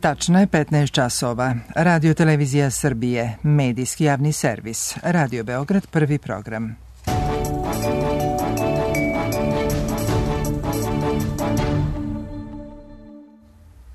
Tačno je 15 časova. Radio Televizija Srbije, medijski javni servis. Radio Beograd, prvi program.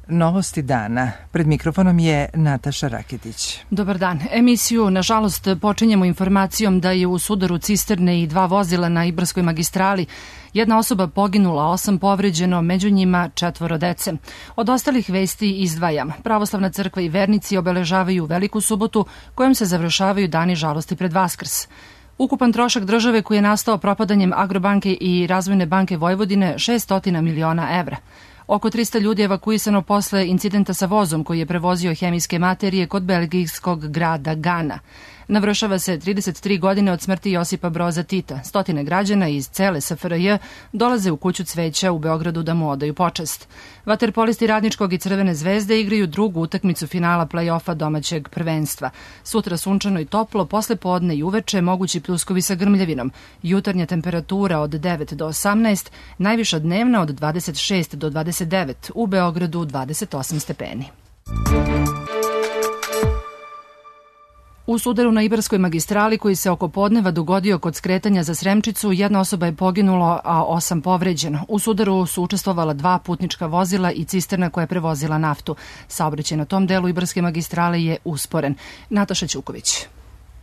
Novosti dana. Pred mikrofonom je Nataša Raketić. Dobar dan. Emisiju, nažalost, počinjemo informacijom da je u sudaru cisterne i 2 vozila na Ibarskoj magistrali jedna osoba poginula, 8 povređeno, među njima 4 dece. Od ostalih vesti izdvajam. Pravoslavna crkva i vernici obeležavaju Veliku subotu, kojom se završavaju dani žalosti pred Vaskrs. Ukupan trošak države koji je nastao propadanjem Agrobanke i Razvojne banke Vojvodine 600 miliona evra. Oko 300 ljudi evakuisano posle incidenta sa vozom koji je prevozio hemijske materije kod belgijskog grada Gana. Navršava se 33 godine od smrti Josipa Broza Tita. Stotine građana iz cele SFRJ dolaze u kuću cveća u Beogradu da mu odaju počast. Vaterpolisti Radničkog i Crvene zvezde igraju drugu utakmicu finala play-offa domaćeg prvenstva. Sutra sunčano i toplo, posle podne i uveče mogući pljuskovi sa grmljavinom. Jutarnja temperatura od 9 do 18, najviša dnevna od 26 do 29, u Beogradu 28 stepeni. U sudaru na Ibarskoj magistrali koji se oko podneva dogodio kod skretanja za Sremčicu, jedna osoba je poginulo, a 8 povređeno. U sudaru su učestvovala 2 putnička vozila i cisterna koja je prevozila naftu. Saobraćaj na tom delu Ibarske magistrale je usporen. Nataša Ćuković.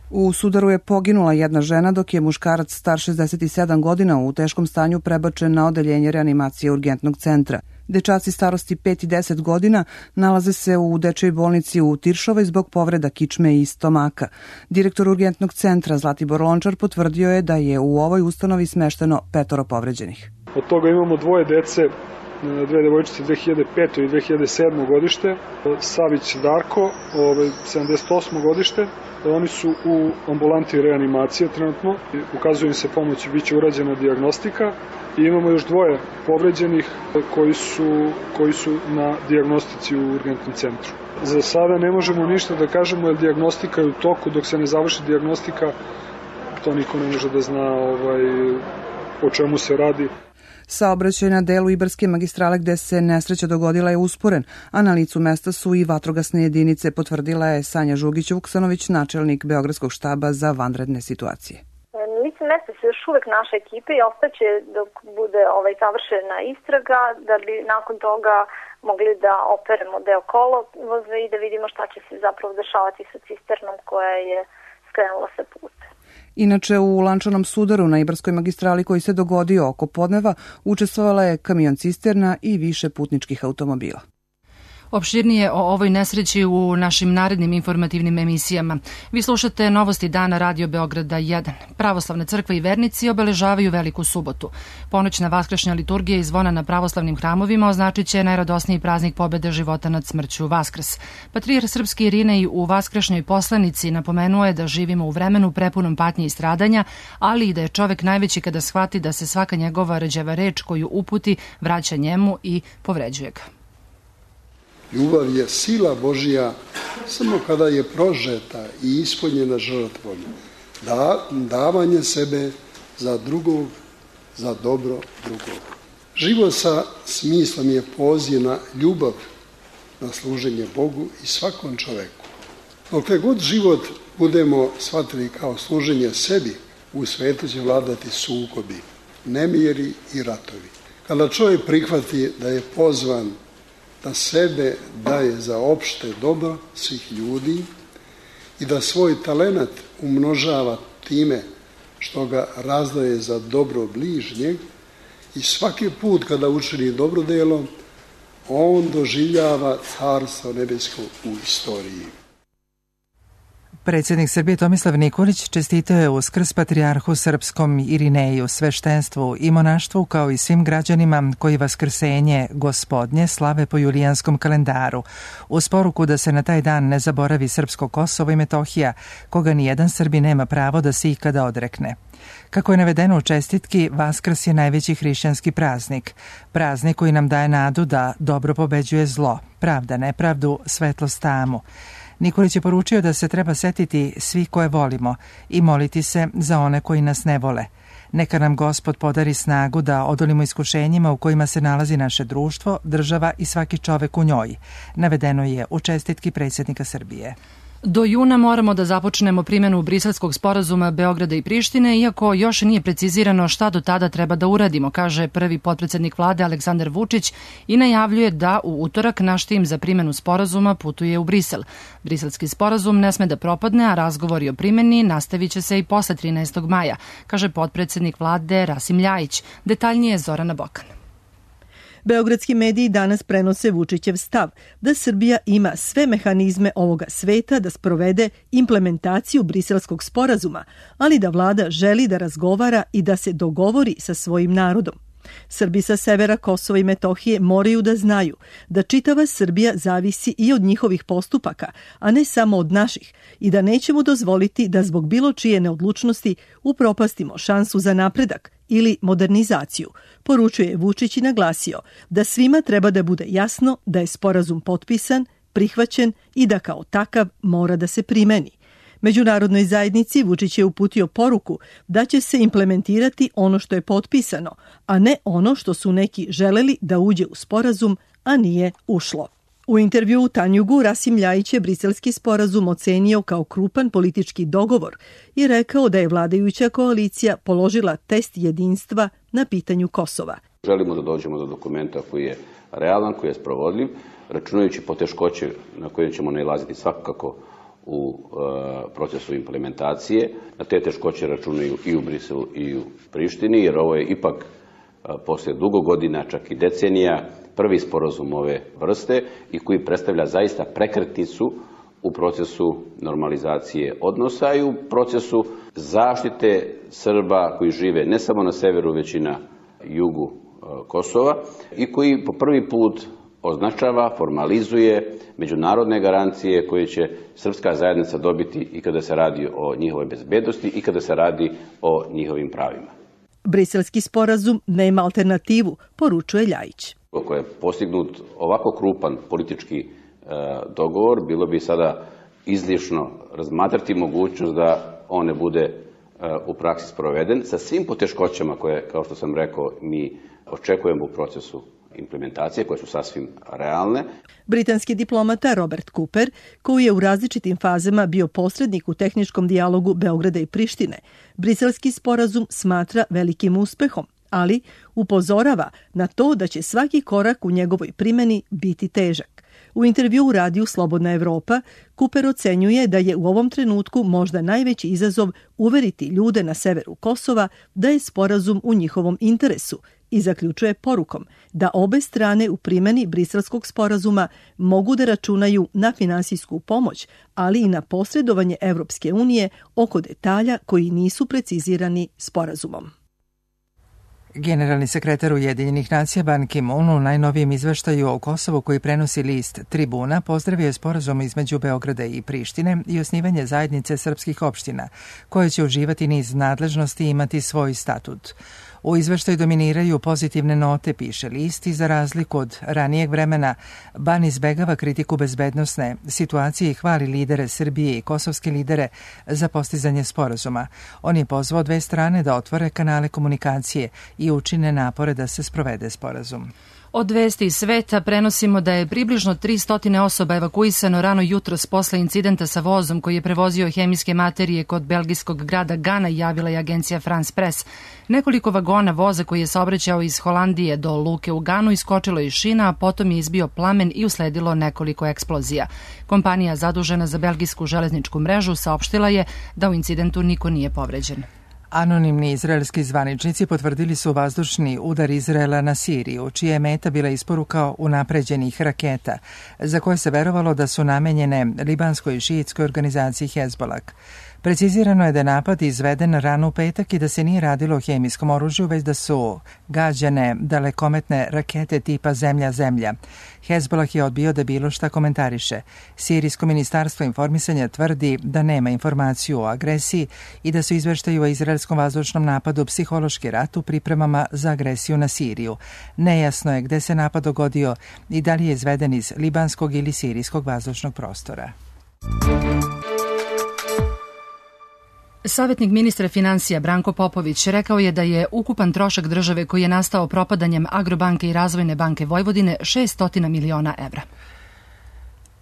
U sudaru je poginula jedna žena, dok je muškarac star 67 godina u teškom stanju prebačen na odeljenje reanimacije urgentnog centra. Dečaci starosti 5 i 10 godina nalaze se u dečjoj bolnici u Tiršovoj zbog povreda kičme i stomaka. Direktor urgentnog centra Zlatibor Lončar potvrdio je da je u ovoj ustanovi smešteno 5 povređenih. Od toga imamo 2 dece, 2 devojčice 2005. i 2007. godište, Savić Darko, 78. godište. Oni su u ambulanti reanimacije trenutno, ukazuje im se pomoć i bit će urađena dijagnostika. I imamo još 2 povređenih koji su na dijagnostici u urgentnom centru. Za sada ne možemo ništa da kažemo jer dijagnostika je u toku, dok se ne završi dijagnostika, to niko ne može da zna o čemu se radi. Saobraćaj na delu Ibarske magistrale gde se nesreća dogodila je usporen, a na licu mesta su i vatrogasne jedinice, potvrdila je Sanja Žugić-Vuksanović, načelnik Beogradskog štaba za vanredne situacije. Lice mesta se još uvek naša ekipa i ostaće dok bude završena istraga, da bi nakon toga mogli da operemo deo kolovoza i da vidimo šta će se zapravo dešavati sa cisternom koja je skrenula sa puta. Inače, u lančanom sudaru na Ibarskoj magistrali koji se dogodio oko podneva učestvovala je kamion cisterna i više putničkih automobila. Opširnije o ovoj nesreći u našim narednim informativnim emisijama. Vi slušate Novosti dana Radio Beograda 1. Pravoslavna crkva i vernici obeležavaju Veliku subotu. Ponoćna vaskršnja liturgija i zvona na pravoslavnim hramovima označit će najradosniji praznik pobede života nad smrću Vaskrs. Patrijarh srpski Irinej u vaskršnjoj poslanici napomenuo je da živimo u vremenu prepunom patnje i stradanja, ali i da je čovek najveći kada shvati da se svaka njegova rđava reč koju uputi vraća njemu i povređuje ga. Ljubav je sila Božja samo kada je prožeta i ispunjena žrtvom. Davanje sebe za drugog, za dobro drugog. Život sa smislom je poziv na ljubav, na služenje Bogu i svakom čoveku. Dokle god život budemo shvatili kao služenje sebi, u svetu će vladati sukobi, nemiri i ratovi. Kada čovjek prihvati da je pozvan da sebe daje za opšte dobro svih ljudi i da svoj talenat umnožava time što ga razdaje za dobro bližnjeg i svaki put kada učini dobro delo, on doživljava carstvo nebesko u istoriji. Predsjednik Srbije Tomislav Nikolić čestitao je Uskrs patrijarhu srpskom Irineju, sveštenstvu i monaštvu kao i svim građanima koji Vaskrsenje Gospodnje slave po julijanskom kalendaru, uz poruku da se na taj dan ne zaboravi srpsko Kosovo i Metohija, koga nijedan Srbi nema pravo da se ikada odrekne. Kako je navedeno u čestitki, Vaskrs je najveći hrišćanski praznik. Praznik koji nam daje nadu da dobro pobeđuje zlo, pravda nepravdu, svetlost tamu. Nikolić je poručio da se treba setiti svi koje volimo i moliti se za one koji nas ne vole. Neka nam Gospod podari snagu da odolimo iskušenjima u kojima se nalazi naše društvo, država i svaki čovek u njoj, navedeno je u čestitki predsjednika Srbije. Do juna moramo da započnemo primjenu Briselskog sporazuma Beograda i Prištine, iako još nije precizirano šta do tada treba da uradimo, kaže prvi potpredsednik vlade Aleksandar Vučić i najavljuje da u utorak naš tim za primjenu sporazuma putuje u Brisel. Briselski sporazum ne sme da propadne, a razgovori o primjeni nastavit će se i posle 13. maja, kaže potpredsednik vlade Rasim Ljajić. Detaljnije Zorana Bokan. Beogradski mediji danas prenose Vučićev stav da Srbija ima sve mehanizme ovoga sveta da sprovede implementaciju Briselskog sporazuma, ali da vlada želi da razgovara i da se dogovori sa svojim narodom. Srbi sa severa Kosova i Metohije moraju da znaju da čitava Srbija zavisi i od njihovih postupaka, a ne samo od naših, i da nećemo dozvoliti da zbog bilo čije neodlučnosti upropastimo šansu za napredak ili modernizaciju, poručuje Vučić i naglasio da svima treba da bude jasno da je sporazum potpisan, prihvaćen i da kao takav mora da se primeni. Međunarodnoj zajednici Vučić je uputio poruku da će se implementirati ono što je potpisano, a ne ono što su neki želeli da uđe u sporazum, a nije ušlo. U intervjuu u Tanjugu Rasim Ljajić je briselski sporazum ocenio kao krupan politički dogovor i rekao da je vladajuća koalicija položila test jedinstva na pitanju Kosova. Želimo da dođemo do dokumenta koji je realan, koji je sprovodljiv, računajući poteškoće na koje ćemo nailaziti svakako u procesu implementacije. Na te teškoće računaju i u Briselu i u Prištini, jer ovo je ipak posle dugo godina, čak i decenija, prvi sporazum ove vrste i koji predstavlja zaista prekretnicu u procesu normalizacije odnosa i u procesu zaštite Srba koji žive ne samo na severu, već i na jugu Kosova i koji po prvi put označava, formalizuje međunarodne garancije koje će srpska zajednica dobiti i kada se radi o njihovoj bezbednosti i kada se radi o njihovim pravima. Briselski sporazum nema alternativu, poručuje Ljajić. Ako je postignut ovako krupan politički dogovor, bilo bi sada izlišno razmatrati mogućnost da on ne bude u praksi sproveden sa svim poteškoćama koje, kao što sam rekao, mi očekujemo u procesu implementacije, koje su sasvim realne. Britanski diplomata Robert Cooper, koji je u različitim fazama bio posrednik u tehničkom dijalogu Beograda i Prištine, briselski sporazum smatra velikim uspehom, ali upozorava na to da će svaki korak u njegovoj primjeni biti težak. U intervjuu u radiju Slobodna Evropa, Cooper ocenjuje da je u ovom trenutku možda najveći izazov uveriti ljude na severu Kosova da je sporazum u njihovom interesu i zaključuje porukom da obe strane u primjeni Briselskog sporazuma mogu da računaju na finansijsku pomoć, ali i na posredovanje Evropske unije oko detalja koji nisu precizirani sporazumom. Generalni sekretar Ujedinjenih nacija Ban Ki-moon u najnovijem izveštaju o Kosovu koji prenosi list Tribuna pozdravio je sporazum između Beograda i Prištine i osnivanje zajednice srpskih opština, koje će uživati niz nadležnosti i imati svoj statut. U izveštaju dominiraju pozitivne note, piše list, i za razliku od ranijeg vremena, Ban izbegava kritiku bezbednosne situacije i hvali lidere Srbije i kosovske lidere za postizanje sporazuma. On je pozvao dve strane da otvore kanale komunikacije i učine napore da se sprovede sporazum. Od vesti iz sveta prenosimo da je približno 300 osoba evakuisano rano jutros posle incidenta sa vozom koji je prevozio hemijske materije kod belgijskog grada Gana, javila je agencija France Press. Nekoliko vagona voza koji je saobraćao iz Holandije do luke u Ganu iskočilo iz šina, a potom je izbio plamen i usledilo nekoliko eksplozija. Kompanija zadužena za belgijsku železničku mrežu saopštila je da u incidentu niko nije povređen. Anonimni izraelski zvaničnici potvrdili su vazdušni udar Izraela na Siriju, čija je meta bila isporuka unapređenih raketa, za koje se verovalo da su namenjene libanskoj i šiitskoj organizaciji Hezbollah. Precizirano je da je napad izveden rano u petak i da se nije radilo o hemijskom oružju, već da su gađane dalekometne rakete tipa Zemlja-Zemlja. Hezbollah je odbio da bilo šta komentariše. Sirijsko ministarstvo informisanja tvrdi da nema informaciju o agresiji i da su izveštaju o izraelskom vazdušnom napadu psihološki rat u pripremama za agresiju na Siriju. Nejasno je gde se napad dogodio i da li je izveden iz libanskog ili sirijskog vazdušnog prostora. Savjetnik ministra finansija Branko Popović rekao je da je ukupan trošak države koji je nastao propadanjem Agrobanke i Razvojne banke Vojvodine 600 miliona evra.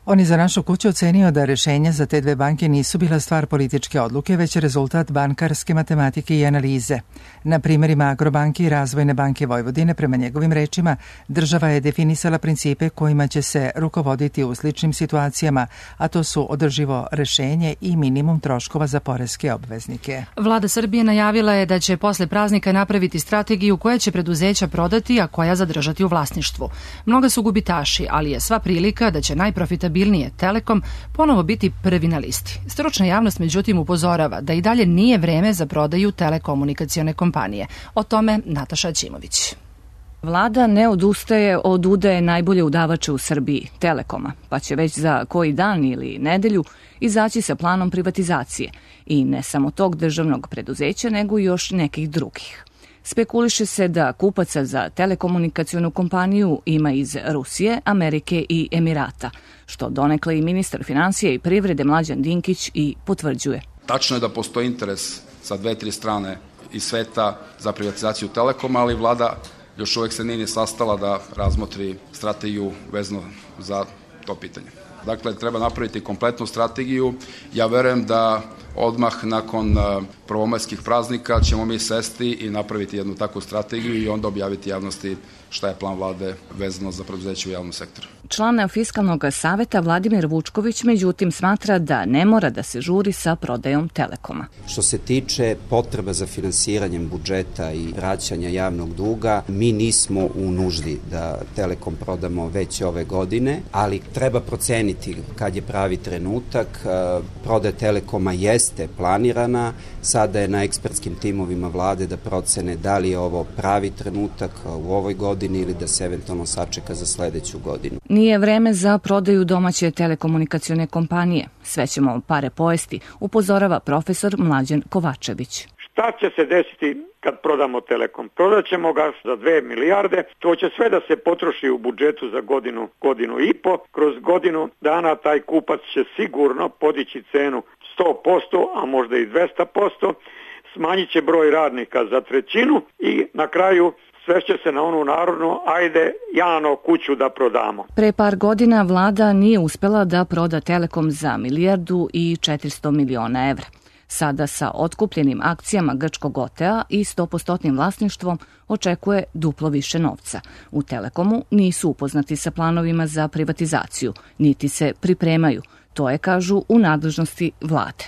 On je za našu kuću ocenio da rešenja za te dve banke nisu bila stvar političke odluke, već rezultat bankarske matematike i analize. Na primjerima Agrobanke i Razvojne banke Vojvodine, prema njegovim rečima, država je definisala principe kojima će se rukovoditi u sličnim situacijama, a to su održivo rešenje i minimum troškova za poreske obveznike. Vlada Srbije najavila je da će posle praznika napraviti strategiju koja će preduzeća prodati, a koja zadržati u vlasništvu. Mnoga su gubitaši, ali je sva prilika da će najprofitabilnije Telekom ponovo biti prvi na listi. Stručna javnost međutim upozorava da i dalje nije vreme za prodaju telekomunikacione kompanije. O tome Nataša Ćimović. Vlada ne odustaje od udaje najbolje udavača u Srbiji, Telekoma, pa će već za koji dan ili nedelju izaći sa planom privatizacije i ne samo tog državnog preduzeća, nego i još nekih drugih. Spekuliše se da kupaca za telekomunikacionu kompaniju ima iz Rusije, Amerike i Emirata, što donekle i ministar finansija i privrede Mlađan Dinkić i potvrđuje. Tačno je da postoji interes sa 2-3 strane iz sveta za privatizaciju Telekoma, ali vlada još uvek se nije sastala da razmotri strategiju vezano za to pitanje. Dakle, treba napraviti kompletnu strategiju. Ja verujem da odmah nakon prvomajskih praznika ćemo mi sesti i napraviti jednu takvu strategiju i onda objaviti javnosti šta je plan vlade vezano za preduzeće u javnom sektoru. Član Fiskalnog saveta Vladimir Vučković međutim smatra da ne mora da se žuri sa prodajom Telekoma. Što se tiče potreba za finansiranjem budžeta i vraćanja javnog duga, mi nismo u nuždi da Telekom prodamo već ove godine, ali treba proceniti kad je pravi trenutak. Prodaja Telekoma jeste planirana, sada je na ekspertskim timovima vlade da procene da li je ovo pravi trenutak u ovoj godini ili da se eventualno sačeka za sledeću godinu. Nije vreme za prodaju domaće telekomunikacione kompanije. Sve ćemo pare pojesti, upozorava profesor Mlađan Kovačević. Šta će se desiti kad prodamo Telekom? Prodat ćemo ga za 2 milijarde, to će sve da se potroši u budžetu za godinu i po. Kroz godinu dana taj kupac će sigurno podići cenu 100%, a možda i 200%, smanjit će broj radnika za trećinu i na kraju svešće se na onu narodnu, ajde Jano kuću da prodamo. Pre par godina vlada nije uspela da proda Telekom za 1.400 miliona evra. Sada sa otkupljenim akcijama grčkog OTEA i 100% vlasništvom očekuje duplo više novca. U Telekomu nisu upoznati sa planovima za privatizaciju, niti se pripremaju. To je, kažu, u nadležnosti vlade.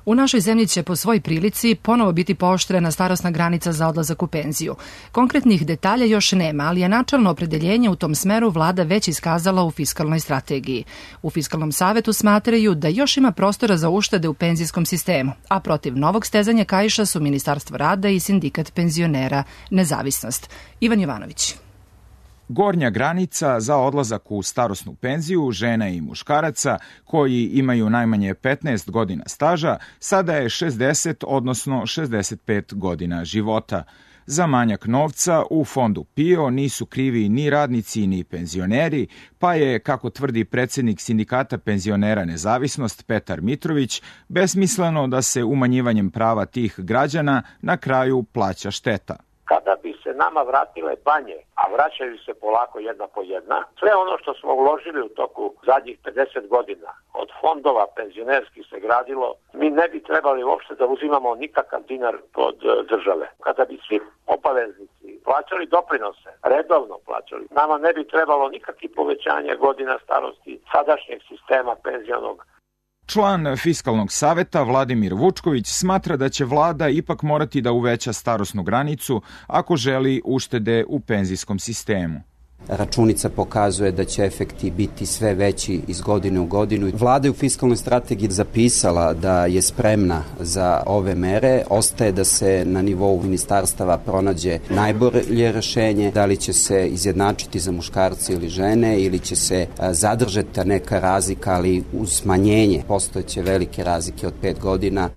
U našoj zemlji će po svoj prilici ponovo biti pooštrena starosna granica za odlazak u penziju. Konkretnih detalja još nema, ali je načelno opredeljenje u tom smeru vlada već iskazala u fiskalnoj strategiji. U Fiskalnom savetu smatraju da još ima prostora za uštede u penzijskom sistemu, a protiv novog stezanja kaiša su Ministarstvo rada i Sindikat penzionera Nezavisnost. Ivan Jovanović. Gornja granica za odlazak u starosnu penziju žena i muškaraca koji imaju najmanje 15 godina staža sada je 60, odnosno 65 godina života. Za manjak novca u fondu PIO nisu krivi ni radnici ni penzioneri, pa je, kako tvrdi predsjednik Sindikata penzionera Nezavisnost Petar Mitrović, besmisleno da se umanjivanjem prava tih građana na kraju plaća šteta. Kada bi se nama vratile banje, a vraćaju se polako jedna po jedna, sve ono što smo uložili u toku zadnjih 50 godina od fondova penzionerskih se gradilo, mi ne bi trebali uopšte da uzimamo nikakav dinar od države. Kada bi svi obaveznici plaćali doprinose, redovno plaćali, nama ne bi trebalo nikakvi povećanja godina starosti sadašnjeg sistema penzionog. Član Fiskalnog saveta Vladimir Vučković smatra da će vlada ipak morati da uveća starosnu granicu ako želi uštede u penzijskom sistemu. Računica pokazuje da će efekti biti sve veći iz godine u godinu. Vlada je u fiskalnoj strategiji zapisala da je spremna za ove mere. Ostaje da se na nivou ministarstava pronađe najbolje rešenje, da li će se izjednačiti za muškarce ili žene ili će se zadržati neka razlika, ali uz smanjenje postojeće velike razlike od 5 godina.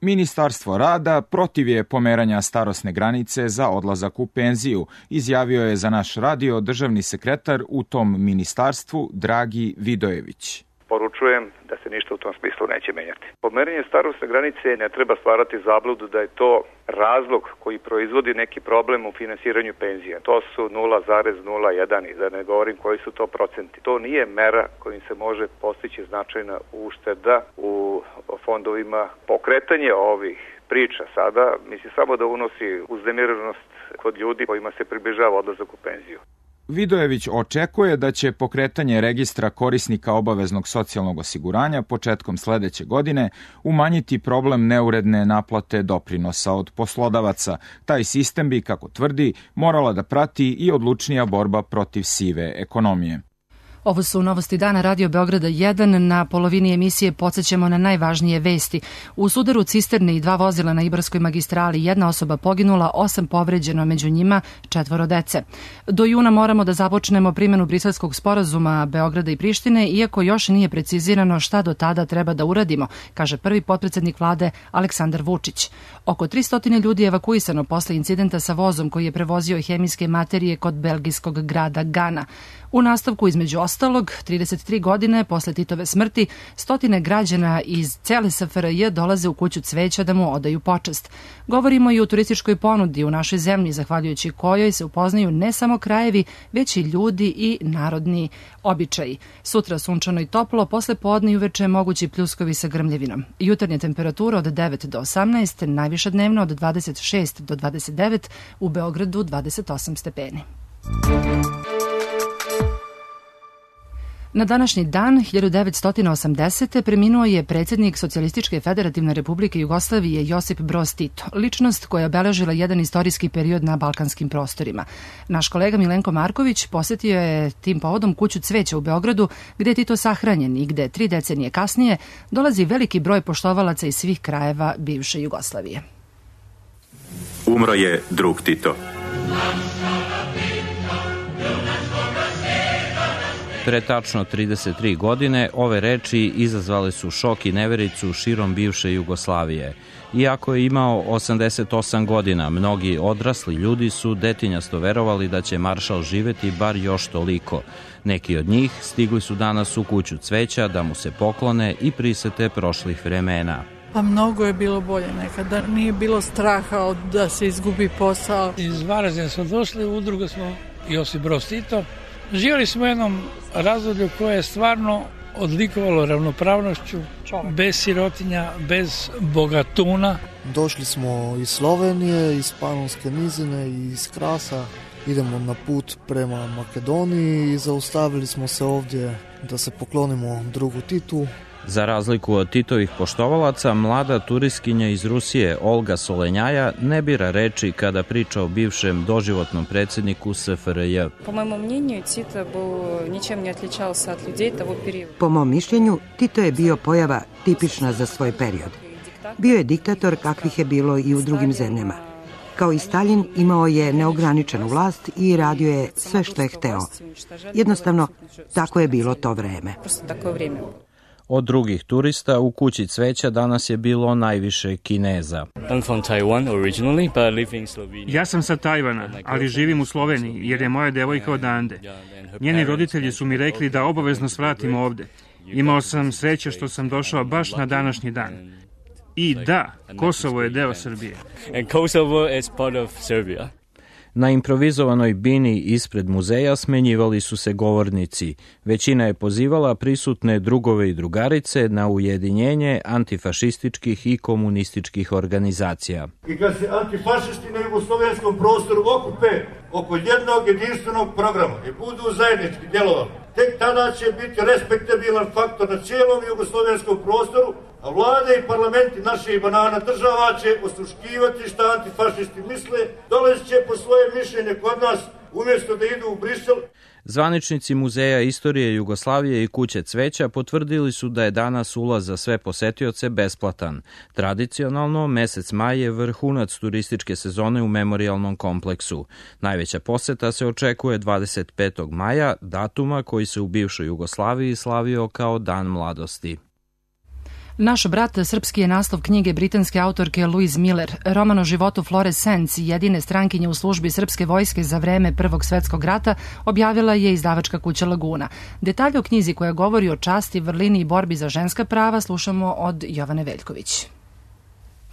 Ministarstvo rada protiv je pomeranja starosne granice za odlazak u penziju, izjavio je za naš radio državni sekretar u tom ministarstvu Dragi Vidojević. poručujem da se ništa u tom smislu neće menjati. Pomeranje starosne granice ne treba stvarati zabludu da je to razlog koji proizvodi neki problem u finansiranju penzija. To su 0,01 i da ne govorim koji su to procenti. To nije mera kojim se može postići značajna ušteda u fondovima. Pokretanje ovih priča sada, misli samo da unosi uznemirenost kod ljudi kojima se približava odlazak u penziju. Vidojević očekuje da će pokretanje registra korisnika obaveznog socijalnog osiguranja početkom sledeće godine umanjiti problem neuredne naplate doprinosa od poslodavaca. Taj sistem bi, kako tvrdi, morala da prati i odlučnija borba protiv sive ekonomije. Ovo su novosti dana Radio Beograda 1. Na polovini emisije podsjećamo na najvažnije vesti. U sudaru cisterne i 2 vozila na Ibarskoj magistrali 1 osoba poginula, 8 povređeno, među njima 4 dece. Do juna moramo da započnemo primjenu Briselskog sporazuma Beograda i Prištine, iako još nije precizirano šta do tada treba da uradimo, kaže prvi potpredsednik vlade Aleksandar Vučić. Oko 300 ljudi je evakuisano posle incidenta sa vozom koji je prevozio hemijske materije kod belgijskog grada Gana. U nastavku, između ostalog, 33 godine posle Titove smrti, stotine građana iz cele SFRJ dolaze u kuću cveća da mu odaju počast. Govorimo i o turističkoj ponudi u našoj zemlji, zahvaljujući kojoj se upoznaju ne samo krajevi, već i ljudi i narodni običaji. Sutra sunčano i toplo, posle podne i uveče mogući pljuskovi sa grmljevinom. Jutarnja temperatura od 9 do 18, najviša dnevno od 26 do 29, u Beogradu 28 stepeni. Na današnji dan, 1980. preminuo je predsjednik Socijalističke federativne republike Jugoslavije Josip Broz Tito, ličnost koja je obeležila jedan istorijski period na balkanskim prostorima. Naš kolega Milenko Marković posetio je tim povodom kuću cveća u Beogradu, gde je Tito sahranjen i gde 3 decenije kasnije dolazi veliki broj poštovalaca iz svih krajeva bivše Jugoslavije. Umro je drug Tito. Pre tačno 33 godine ove reči izazvale su šok i nevericu širom bivše Jugoslavije. Iako je imao 88 godina, mnogi odrasli ljudi su detinjasto verovali da će maršal živeti bar još toliko. Neki od njih stigli su danas u kuću cveća da mu se poklone i prisete prošlih vremena. Pa mnogo je bilo bolje nekada. Nije bilo straha da se izgubi posao. Iz Varaždina smo došli, u udrugu smo Josip Broz Tito. Živjeli smo u jednom razdoblju koje je stvarno odlikovalo ravnopravnošću, bez sirotinja, bez bogatuna. Došli smo iz Slovenije, iz Panonske nizine i iz Krasa. Idemo na put prema Makedoniji i zaustavili smo se ovdje da se poklonimo drugu Titu. Za razliku od Titovih poštovalaca, mlada turistkinja iz Rusije Olga Solenjaja ne bira reči kada priča o bivšem doživotnom predsjedniku SFRJ. Po mojemu mnjenju, Tito ničem ne odličao se od ljudi tog perioda. Po mom mišljenju, Tito je bio pojava tipična za svoj period. Bio je diktator kakvih je bilo i u drugim zemljama. Kao i Stalin, imao je neograničenu vlast i radio je sve što je hteo. Jednostavno, tako je bilo to vreme. Od drugih turista u kući cveća danas je bilo najviše Kineza. Ja sam sa Tajvana, ali živim u Sloveniji jer je moja devojka odande. Njeni roditelji su mi rekli da obavezno svratim ovde. Imao sam sreće što sam došao baš na današnji dan. I da, Kosovo je deo Srbije. Na improvizovanoj bini ispred muzeja smenjivali su se govornici. Većina je pozivala prisutne drugove i drugarice na ujedinjenje antifašističkih i komunističkih organizacija. I kad se antifašisti na jugoslovenskom prostoru okupe oko jednog jedinstvenog programa i budu zajednički djelovali, tek tada će biti respektabilan faktor na cijelom jugoslovenskom prostoru, a vlade i parlamenti naših banana država će osluškivati šta antifašisti misle, dolazit će po svoje mišljenje kod nas umjesto da idu u Brisel. Zvaničnici Muzeja istorije Jugoslavije i kuće cveća potvrdili su da je danas ulaz za sve posetioce besplatan. Tradicionalno, mesec maj je vrhunac turističke sezone u memorijalnom kompleksu. Najveća poseta se očekuje 25. maja, datuma koji se u bivšoj Jugoslaviji slavio kao Dan mladosti. Naš brat srpski je naslov knjige britanske autorke Louise Miller. Roman o životu Flore Sands, jedine strankinje u službi srpske vojske za vreme Prvog svetskog rata, objavila je izdavačka kuća Laguna. Detalje o knjizi koja govori o časti, vrlini i borbi za ženska prava slušamo od Jovane Veljković.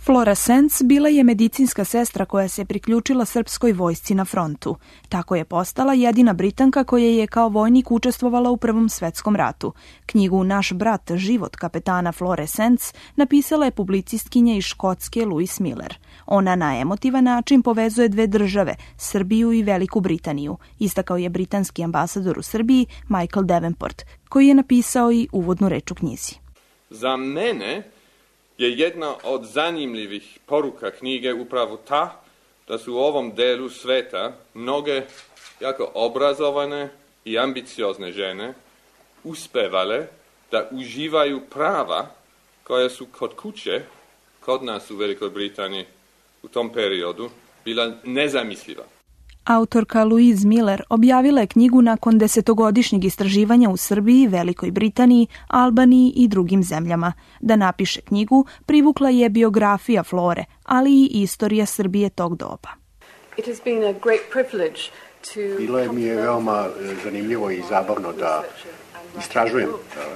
Flora Sands bila je medicinska sestra koja se priključila srpskoj vojsci na frontu. Tako je postala jedina Britanka koja je kao vojnik učestvovala u Prvom svetskom ratu. Knjigu Naš brat, život kapetana Flore Sands napisala je publicistkinja iz Škotske Louise Miller. Ona na emotivan način povezuje dve države, Srbiju i Veliku Britaniju, istakao je britanski ambasador u Srbiji Michael Davenport, koji je napisao i uvodnu reč u knjizi. Za mene je jedna od zanimljivih poruka knjige upravo ta da su u ovom delu sveta mnoge jako obrazovane i ambiciozne žene uspevale da uživaju prava koja su kod kuće, kod nas u Velikoj Britaniji u tom periodu, bila nezamisliva. Autorka Louise Miller objavila je knjigu nakon 10-godišnjeg istraživanja u Srbiji, Velikoj Britaniji, Albaniji i drugim zemljama. Da napiše knjigu privukla je biografija Flore, ali i istorija Srbije tog doba. Bilo mi je veoma zanimljivo i zabavno da istražujem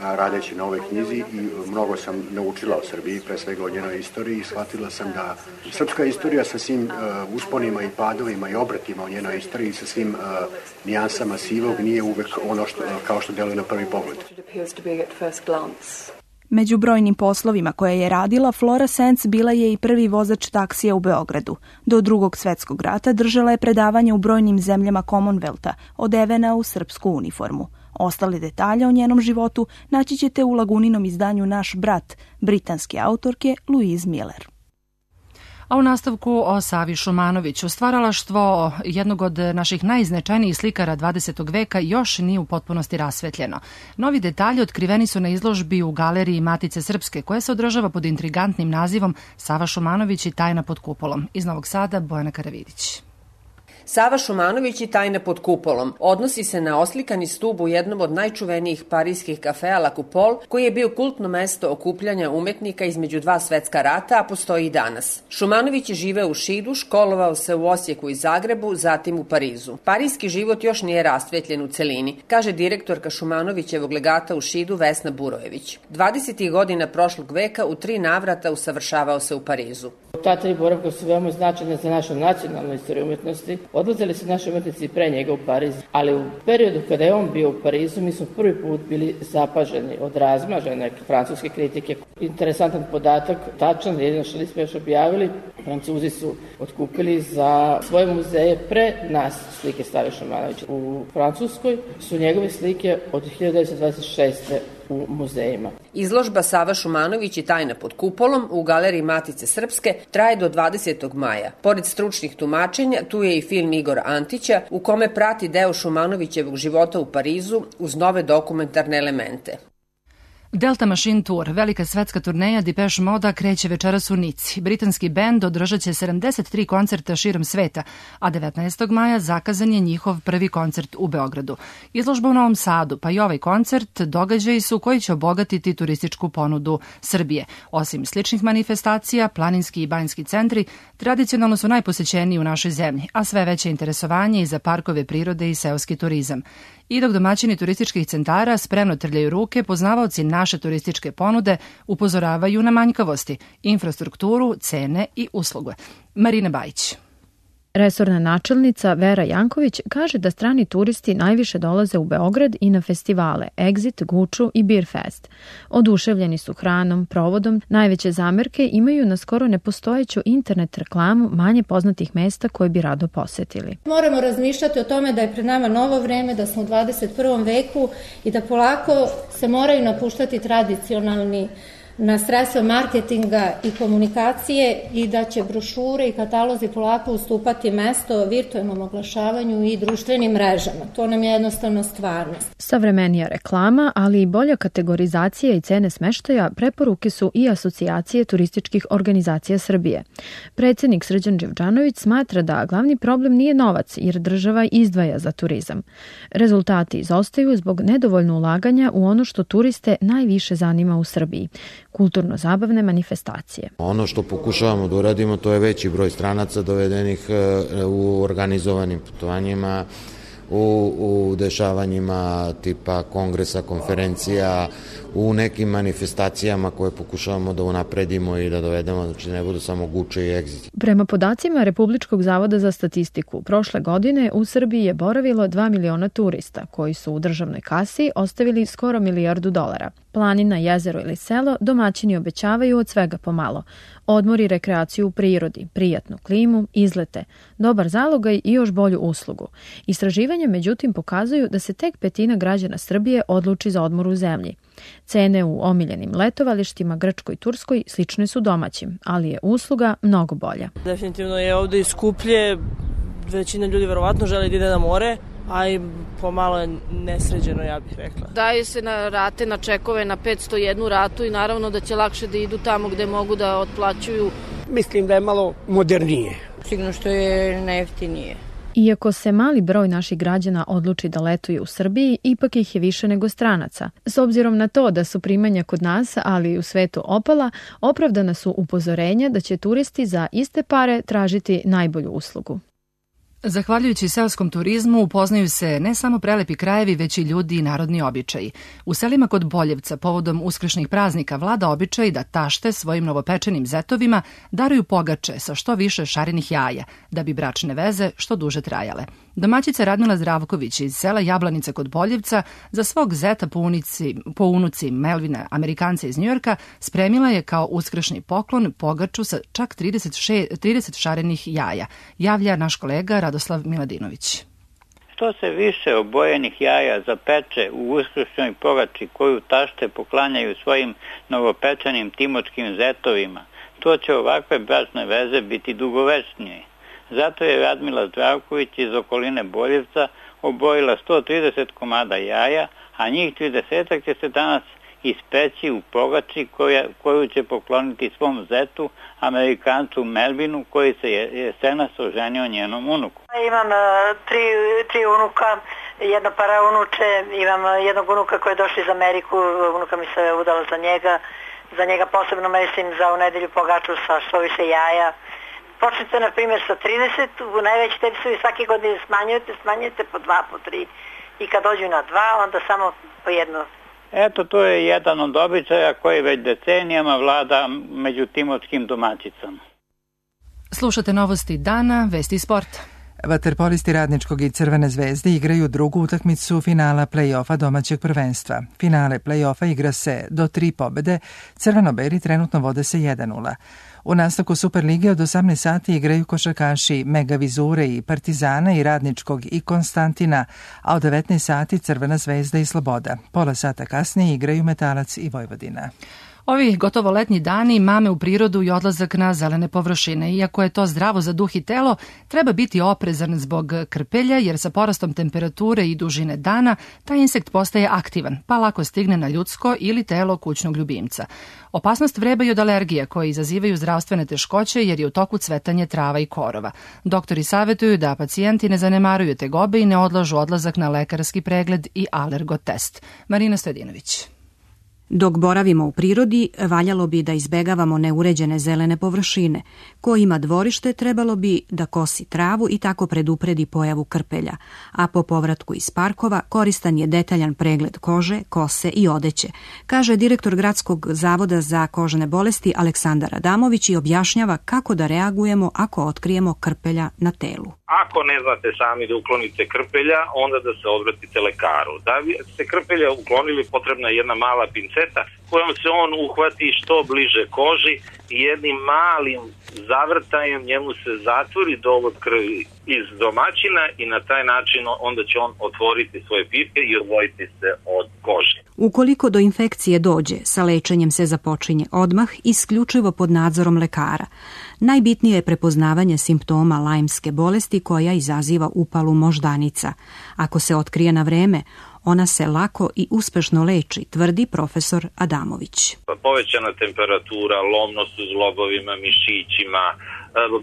radeći na ovoj knjizi i mnogo sam naučila o Srbiji, pre svega o njenoj istoriji i shvatila sam da srpska istorija sa svim usponima i padovima i obratima o njenoj istoriji sa svim nijansama sivog nije uvek ono što, kao što deluje na prvi pogled. Među brojnim poslovima koje je radila, Flora Sands bila je i prvi vozač taksija u Beogradu. Do Drugog svetskog rata držala je predavanje u brojnim zemljama Commonwealtha, odevena u srpsku uniformu. Ostale detalje o njenom životu naći ćete u Laguninom izdanju Naš brat, britanske autorke Louise Miller. A u nastavku o Savi Šumanoviću. Stvaralaštvo jednog od naših najznačajnijih slikara 20. veka još nije u potpunosti rasvetljeno. Novi detalji otkriveni su na izložbi u Galeriji Matice Srpske, koja se održava pod intrigantnim nazivom Sava Šumanović i tajna pod kupolom. Iz Novog Sada, Bojana Karavidić. Sava Šumanović i tajna pod kupolom odnosi se na oslikani stub u jednom od najčuvenijih parijskih kafea La Coupole, koji je bio kultno mesto okupljanja umetnika između dva svetska rata, a postoji i danas. Šumanović je živeo u Šidu, školovao se u Osijeku i Zagrebu, zatim u Parizu. Parijski život još nije rasvetljen u celini, kaže direktorka Šumanovićevog legata u Šidu Vesna Burojević. 20. godina prošlog veka u 3 navrata usavršavao se u Parizu. Ta 3 boravka su veoma značajne za našu nacionalnu istoriju umetnosti. Odlazili su naši umetnici pre njega u Pariz, ali u periodu kada je on bio u Parizu, mi smo prvi put bili zapaženi od razmažene francuske kritike. Interesantan podatak, tačan, jedino što nismo još objavili, Francuzi su otkupili za svoje muzeje pre nas slike Save Šumanovića. U Francuskoj su njegove slike od 1926. u muzejima. Izložba Sava Šumanović i tajna pod kupolom u Galeriji Matice Srpske traje do 20. maja. Pored stručnih tumačenja, tu je i film Igora Antića, u kome prati deo Šumanovićevog života u Parizu uz nove dokumentarne elemente. Delta Machine Tour, velika svetska turneja Depeche Moda, kreće večeras u Nici. Britanski bend održat će 73 koncerta širom sveta, a 19. maja zakazan je njihov prvi koncert u Beogradu. Izložba u Novom Sadu, pa i ovaj koncert, događaji su koji će obogatiti turističku ponudu Srbije. Osim sličnih manifestacija, planinski i banjski centri tradicionalno su najposećeniji u našoj zemlji, a sve veće interesovanje i za parkove prirode i seoski turizam. I dok domaćini turističkih centara spremno trljaju ruke, poznavaoci naše turističke ponude upozoravaju na manjkavosti, infrastrukturu, cene i usluge. Marina Bajić. Resorna načelnica Vera Janković kaže da strani turisti najviše dolaze u Beograd i na festivale Exit, Guču i Beer Fest. Oduševljeni su hranom, provodom, najveće zamerke imaju na skoro nepostojeću internet reklamu manje poznatih mesta koje bi rado posetili. Moramo razmišljati o tome da je pred nama novo vreme, da smo u 21. veku i da polako se moraju napuštati tradicionalni na sredstva marketinga i komunikacije i da će brošure i katalozi polako ustupati mesto virtualnom oglašavanju i društvenim mrežama. To nam je jednostavno stvarnost. Savremenija reklama, ali i bolja kategorizacija i cene smeštaja preporuke su i Asocijacije turističkih organizacija Srbije. Predsjednik Srđan Đevđanović smatra da glavni problem nije novac, jer država izdvaja za turizam. Rezultati izostaju zbog nedovoljno ulaganja u ono što turiste najviše zanima u Srbiji: kulturno-zabavne manifestacije. Ono što pokušavamo da uradimo, to je veći broj stranaca dovedenih u organizovanim putovanjima, u dešavanjima tipa kongresa, konferencija, u nekim manifestacijama koje pokušavamo da unapredimo i da dovedemo, znači ne budu samo Guče i Exit. Prema podacima Republičkog zavoda za statistiku, prošle godine u Srbiji je boravilo 2 miliona turista, koji su u državnoj kasi ostavili skoro $1 milijardu. Planina, jezero ili selo domaćini obećavaju od svega pomalo. Odmor i rekreaciju u prirodi, prijatnu klimu, izlete, dobar zalogaj i još bolju uslugu. Istraživanja međutim pokazuju da se tek 1/5 građana Srbije odluči za odmor u zemlji. Cene u omiljenim letovalištima Grčkoj i Turskoj slične su domaćim, ali je usluga mnogo bolja. Definitivno je ovde i skuplje, većina ljudi verovatno želi da ide na more, a i pomalo je nesređeno, ja bih rekla. Daju se na rate, na čekove, na 501 ratu i naravno da će lakše da idu tamo gde mogu da otplaćuju. Mislim da je malo modernije. Sigurno što je najjeftinije. Iako se mali broj naših građana odluči da letuje u Srbiji, ipak ih je više nego stranaca. S obzirom na to da su primanja kod nas, ali i u svetu opala, opravdana su upozorenja da će turisti za iste pare tražiti najbolju uslugu. Zahvaljujući seoskom turizmu upoznaju se ne samo prelepi krajevi, već i ljudi i narodni običaji. U selima kod Boljevca povodom uskršnjih praznika vlada običaj da tašte svojim novopečenim zetovima daruju pogače sa što više šarenih jaja, da bi bračne veze što duže trajale. Domaćica Radmila Zdravković iz sela Jablanica kod Boljevca za svog zeta po unuci Melvina, Amerikanca iz Njujorka, spremila je kao uskršnji poklon pogaču sa čak 30 šarenih jaja, javlja naš kolega Radoslav Miladinović. Što se više obojenih jaja zapeče u uskršnjoj pogači koju tašte poklanjaju svojim novopečenim timočkim zetovima, to će ovakve bračne veze biti dugovečnije. Zato je Radmila Zdravković iz okoline Boljevca obojila 130 komada jaja, a njih 30 će se danas ispeći u pogači koju će pokloniti svom zetu, Amerikancu Melvinu, koji se jesenas oženio njenom unuku. Imam tri unuka, jedna paraunuče, imam jednog unuka koji je došao iz Ameriku, unuka mi se udala za njega posebno mislim za u nedelju pogaču sa što više jaja. Počnete na primjer sa 30, u najveći tebi svake godine smanjujete po 2, po 3 i kad dođu na 2 onda samo po jedno. Eto, to je jedan od običaja koji već decenijama vlada među timočkim domaćicama. Slušate novosti dana, vesti sporta. Vaterpolisti Radničkog i Crvene zvezde igraju drugu utakmicu finala play-offa domaćeg prvenstva. Finale play-offa igra se do 3 pobede, crveno-beli trenutno vode se 1-0. U nastavku Superlige od 18 sati igraju košarkaši Mega Vizure i Partizana i Radničkog i Konstantina, a od 19 sati Crvena zvezda i Sloboda. Pola sata kasnije igraju Metalac i Vojvodina. Ovi gotovo letnji dani mame u prirodu i odlazak na zelene površine. Iako je to zdravo za duh i telo, treba biti oprezan zbog krpelja, jer sa porastom temperature i dužine dana taj insekt postaje aktivan, pa lako stigne na ljudsko ili telo kućnog ljubimca. Opasnost vreba i od alergija koje izazivaju zdravstvene teškoće jer je u toku cvetanje trava i korova. Doktori savjetuju da pacijenti ne zanemaruju tegobe i ne odlažu odlazak na lekarski pregled i alergotest. Marina Stojadinović. Dok boravimo u prirodi, valjalo bi da izbegavamo neuređene zelene površine. Ko ima dvorište, trebalo bi da kosi travu i tako predupredi pojavu krpelja, a po povratku iz parkova koristan je detaljan pregled kože, kose i odeće, kaže direktor Gradskog zavoda za kožne bolesti Aleksandar Adamović i objašnjava kako da reagujemo ako otkrijemo krpelja na telu. Ako ne znate sami da uklonite krpelja, onda da se obratite lekaru. Da bi se krpelja uklonili, potrebna je jedna mala pinceta kojom se on uhvati što bliže koži i jednim malim zavrtajem njemu se zatvori dovod krvi iz domaćina i na taj način onda će on otvoriti svoje pipke i odvojiti se od kože. Ukoliko do infekcije dođe, sa lečenjem se započinje odmah, isključivo pod nadzorom lekara. Najbitnije je prepoznavanje simptoma lajmske bolesti koja izaziva upalu moždanica. Ako se otkrije na vreme, ona se lako i uspešno leči, tvrdi profesor Adamović. Povećana temperatura, lomnost u zglobovima, mišićima,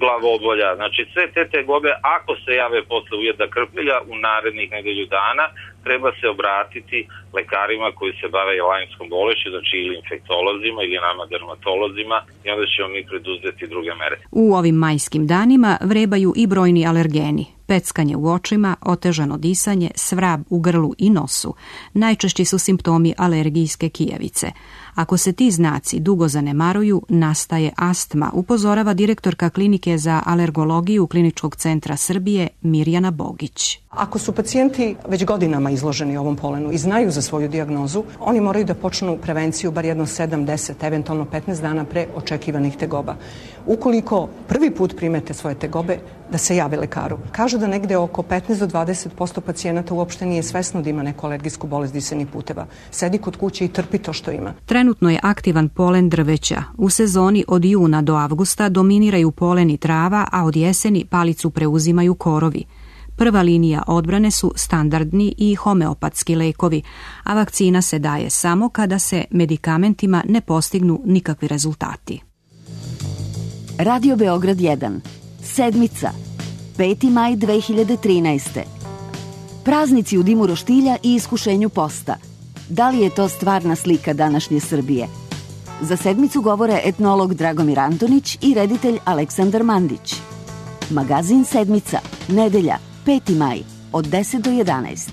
glavobolja. Znači sve te tegobe, ako se jave posle ujeda krpelja u narednih nedelju dana, treba se obratiti lekarima koji se bave lajmskom bolešću, znači ili infektolozima ili nama dermatolozima, i onda ćemo mi preduzeti druge mere. U ovim majskim danima vrebaju i brojni alergeni. Peckanje u očima, otežano disanje, svrab u grlu i nosu. Najčešći su simptomi alergijske kijavice. Ako se ti znaci dugo zanemaruju, nastaje astma, upozorava direktorka klinike za alergologiju Kliničkog centra Srbije Mirjana Bogić. Ako su pacijenti već godinama izloženi ovom polenu i znaju za svoju dijagnozu, oni moraju da počnu prevenciju bar jedno 7, 10, eventualno 15 dana pre očekivanih tegoba. Ukoliko prvi put primete svoje tegobe, da se jave lekaru. Kažu da negde oko 15 do 20% pacijenata uopšte nije svesno da ima neku alergijsku bolest disenih puteva. Sedi kod kuće i trpi to što ima. Trenutno je aktivan polen drveća. U sezoni od juna do avgusta dominiraju polen i trava, a od jeseni palicu preuzimaju korovi. Prva linija odbrane su standardni i homeopatski lekovi, a vakcina se daje samo kada se medikamentima ne postignu nikakvi rezultati. Radio Beograd 1. Sedmica. 5. maj 2013. Praznici u dimu roštilja i iskušenju posta. Da li je to stvarna slika današnje Srbije? Za sedmicu govore etnolog Dragomir Antonić i reditelj Aleksandar Mandić. Magazin Sedmica. Nedelja. 5. maj. Od 10 do 11.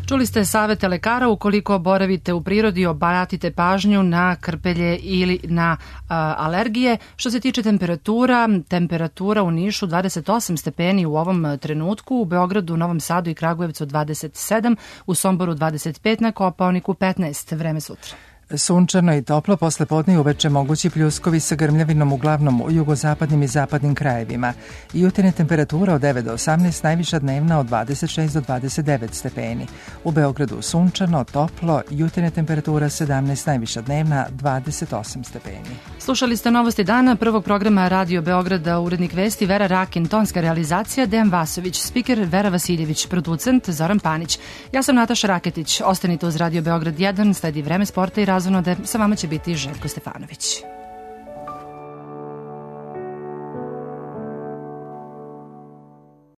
Čuli ste savete lekara, ukoliko boravite u prirodi, obratite pažnju na krpelje ili na alergije. Što se tiče temperatura u Nišu 28 stepeni u ovom trenutku, u Beogradu, Novom Sadu i Kragujevcu 27, u Somboru 25, na Kopaoniku 15. Vreme sutra. Sunčano i toplo, posle podne i uveče mogući pljuskovi sa grmljavinom uglavnom u jugozapadnim i zapadnim krajevima. Jutarnja temperatura od 9 do 18, najviša dnevna od 26 do 29 stepeni. U Beogradu sunčano, toplo, jutarnja temperatura 17, najviša dnevna 28 stepeni. Slušali ste novosti dana prvog programa Radio Beograda, urednik vesti Vera Rakin, tonska realizacija Dejan Vasović, spiker Vera Vasiljević, producent Zoran Panić. Ja sam Nataša Raketić. Ostanite uz Radio Beograd 1, sledi Vreme sporta i razonode. Sa vama će biti Željko Stefanović.